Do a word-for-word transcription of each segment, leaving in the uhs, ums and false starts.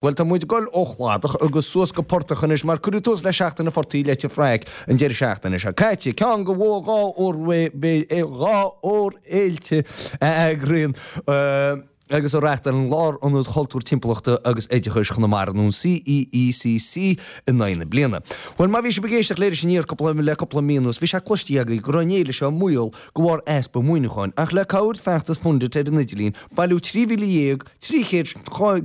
Bhuel, tá muid ag dul ó chladach agus suas go portach anois mar cuireadh tús le Seachtain an Phortaigh i Leitir Fraic an deireadh seachtaine seo caite. Ceann de dhá mhórfhéilte a eagraíonn agus a reáchtálann Lárionad Chultúir Timpeallachta agus Oideachais Chonamara, nó an CEECC, in aghaidh na bliana. Bhuel, má bhí sibh ag éisteacht le Iris Aniar cúpla le cúpla mí anuas, bhí sé cloiste agaibh go raibh an fhéile seo i mbaol de bharr easpa maoiniúcháin, ach le cabhair feachtas Fundit ar an idirlíon, bailíodh trí mhíle dhéag trí chéad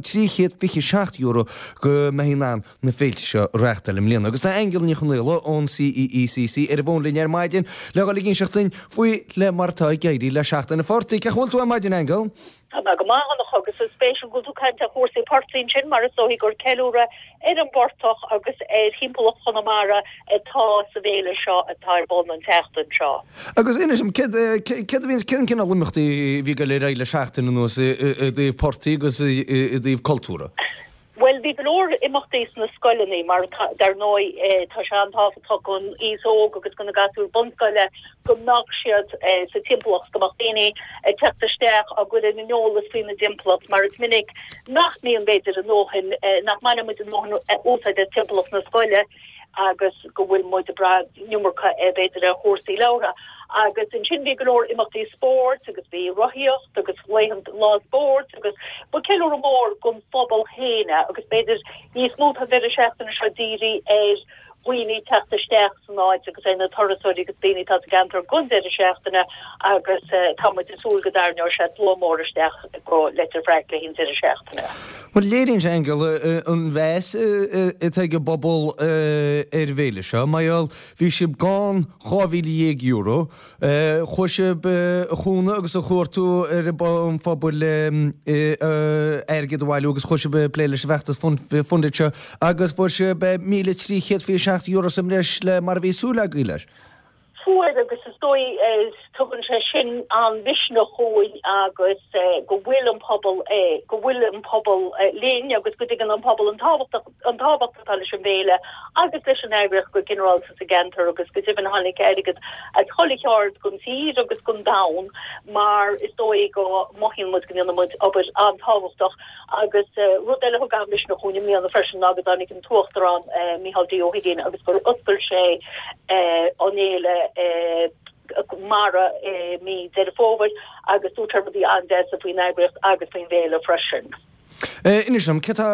trí chéad fiche seacht euro go mbeifí in ann na féilte seo a reáchtáil i mbliana. Agus tá Aingeal Ní Chonaola ón CEECC ar an bhfón linn ar maidin le dhul ag inseacht duinn faoi le mar atá ag éirí le Seachtain an Phortaigh. Cén chaoi a bhfuil tú ar maidin, Aingeal? Tá mé go maith, a Dhonncha, agus is spéisiúil go bhfuil tú ag caint ar chúrsaí portaigh ansin mar is dóigh gur ceiliúradh ar an bportach agus ar thimpeallacht Chonamara atá sa bhféile seo atá ar bun an tseachtain seo. Agus inis dom, céard céard a bhíonn, cén cineál imeachtaí a bhí ag dul ar aghaidh le seachtain anuas i dtaobh portaigh agus i dtaobh cultúrtha? Bhuel, bhí go leor imeachtaí sna scoileanna mar dar ndóigh tá sé an-tábhachtach don aos óg agus do na gasúir bunscoile go mbeadh siad sa timpeallacht, go mbeadh daoine ag teacht isteach á gcur ar an eolas faoina dtimpeallacht mar is minic nach mbíonn b'fhéidir a ndóthain, nach mbaineann muid a ndóthain úsáid as timpeallacht na scoile agus go bhfuil muid ag brath an iomarca b'fhéidir ar chúrsaí labhartha. Agus ansin bhí go leor imeachtaí spóirt agus bhí rothaíocht agus laethanta lá spóirt agus ba ceiliúradh mór don phobal féin é agus b'fhéidir níos mó tá an deireadh seachtaine seo dírithe ar dhaoine teacht isteach san áit agus ar na turasóirí agus daoine atá sa gceantar don deireadh seachtaine agus tá muid ag súil go dtarraingeoidh sé slua mór isteach go Leitir Fraic le haghaidh an deireadh seachtaine. Bhuel, léiríonn sé, Aingeal, an mheas atá ag an bpobal ar an bhféile seo. Mar gheall, bhí sibh gann dhá mhíle dhéag euro. Chuaigh sibh a chúnamh agus a chuartú ar an phobal airgead a bhailiú agus chuaigh sibh ag plé leis an bhfeachtas Fundit seo agus fuair sibh míle trí chéad fiche seacht euro sa mbreis le mar a bhí súil agaibh leis. Fuair agus is dóigh tugann sé sin an-mhisneach dhúinn agus go bhfuil an pobal go bhfuil an pobal linn agus go dtuigeann an pobal an tábhacht an tábhacht atá leis an bhféile agus leis an eagraíocht go ginearálta sa gceantar agus go deimhin tháinig airgead as chuile cheard den tír agus den domhan mar is dóigh go mothaíonn muid go ndéanann muid obair an-tábhachtach agus rud eile a thug an-mhisneach dhúinn i mbliana freisin ná go dtáinig an tUachtarán Micheál D. Ó hUiginn agus gur oscail sé an fhéile mara i mí Deireadh Fómhair agus dúirt sé rudaí an-deasa faoin eagraíocht agus faoin bhféile freisin. Inis dom, cé tá,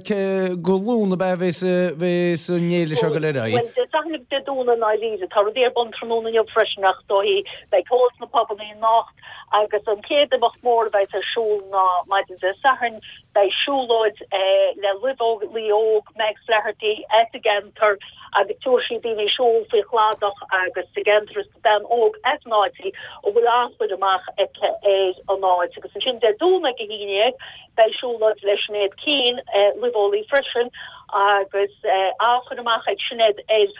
cé go Luan ab ea a bheas, bheas an fhéile seo ag dul ar aghaidh? Bhuel, Dé Sathairn agus Dé Domhnaigh i ndáiríre. Tá rudaí ar bun tráthnóna inniu freisin ach is dóigh beidh ceol sna pubanna anocht agus an chéad imeacht mór a bheas ar siúl ná maidin Dé Sathairn, beidh siúlóid le luibheolaí óg Mags Flaherty as an gceantar agus tabharfaidh sí daoine ag siúl faoi chladach agus sa gceantar is bean óg as an áit í a bhfuil an-chur amach aici ar an áit agus ansin Dé Domhnaigh ag a haon déag beidh siúlóid le Sinéad Keane, luibheolaí freisin agus an-chur amach ag Sinéad ar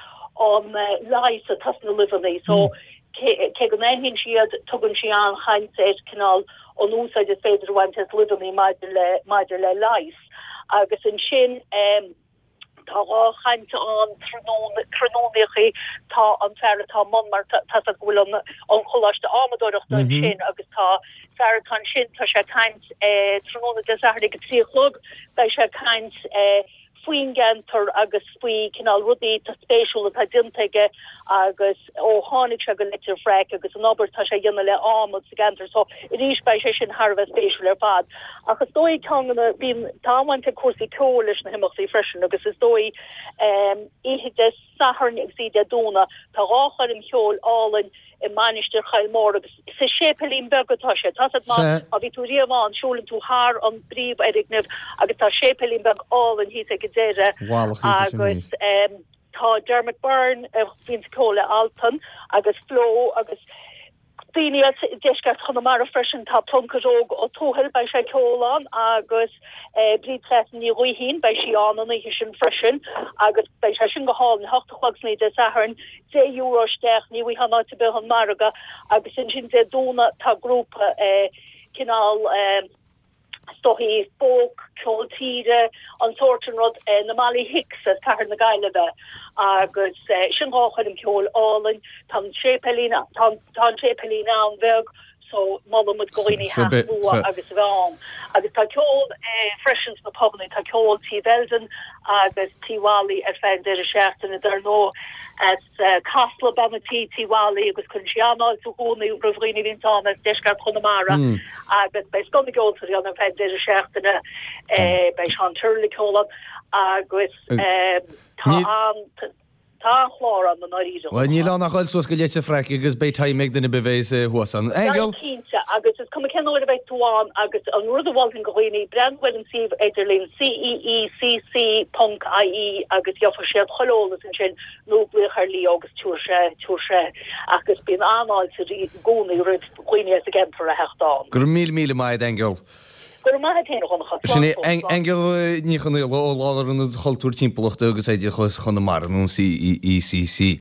an leigheas atá sna luibheanna so cé go n-aithníonn sí iad tugann sí an-chaint ar cineál an úsáid is féidir a bhaint as luibheanna maidir le maidir le leigheas agus ansin Tá dhá chaint ann tráthnóna, tráthnónaíochaí, tá an fear atá i mbun mar tá a fhios agat go bhfuil an an choláiste adhmadóireachta ansin agus tá fear atá ansin, tá sé ag caint tráthnóna Dé Sathairn ag a trí a chlog, beidh sé ag caint faoin gceantar agus faoi cineál rudaí atá spéisiúil atá déanta aige agus ó tháinig sé go Leitir Fraic agus an obair atá sé a dhéanamh le adhmad sa gceantar so arís beidh sé sin thar a bheith spéisiúil ar fad. Ach is dóigh ceann de na, bíonn, tá an-bhaint ag cúrsaí ceoil leis na himeachtaí freisin agus is dóigh oíche Dé Sathairn agus oíche Dé Domhnaigh tá dhá choirm cheoil álainn i Mainistir Choill Mór agus sa séipéilín beag atá sé. Tá a fhios agat má bhí tú riamh ann, siúlann tú thar an bpríomhfhoirgneamh agus tá séipéilín beag álainn thíos ag an deireadh agus tá Dermot Byrne a bhíonn ag ceol le Altan agus Flo agus daoine as deisceart Chonamara freisin, tá Pluincéad Óg Ó Tuathail, beidh sé ag ceol ann agus Bríd Cleasna Ní Ghaoithín, beidh sí ann an oíche sin freisin agus beidh sé sin go hálainn, a hocht a chlog san oíche Dé Sathairn, deich euro isteach, ní bhfaighfeá in áit ar bith an margadh agus ansin Dé Domhnaigh tá grúpa cineál is dóichí folk, ceol tíre, an sórt sin rud, na Molly Hicks as cathair na Gaillimhe agus sin dhá choirm cheoil álainn. Tá an séipéilín, tá an séipéilín an-bheag so molann muid do dhaoine theacht luath agus a bheith ann. Agus tá ceol freisin sna pubannaí, tá ceol Tí Bheldon agus Tí Mholly ar feadh an deireadh seachtaine dar ndóigh as Casla bean an tí Tí Mholly agus cuireann sí an-fháilte i gcónaí roimh dhaoine a bhíonn ann as deisceart Chonamara agus beidh scoth na gceoltóirí ann ar feadh an deireadh seachtaine, beidh Seán Tyrrell ag ceol ann agus tá an Tá an-chlár ann i ndáiríre. Bhuel, níl ann ach dul suas go Leitir Fraic agus beidh time ag duine ar bith a bheas thuas ann. Aingeal! Beidh, cinnte, agus is cuma cén uair a bheidh tú ann agus an rud a mholfainn do dhaoine, breathnú ar an suíomh idirlín CEECC ponc IE agus gheobhaidh siad chuile eolas ansin nó glaoch ar Leo agus tabharfaidh sé, tabharfaidh sé agus bíonn an-fháilte i gcónaí roimh dhaoine as an gceantar a theacht ann. Go raibh míle míle maith agat, Aingeal. Go raibh maith agat féin, a Dhonncha. Sin é Aingeal Ní Chonaola ó Lárionad Chultúir Timpeallachta agus Oideachais Chonamara, nó an CEECC.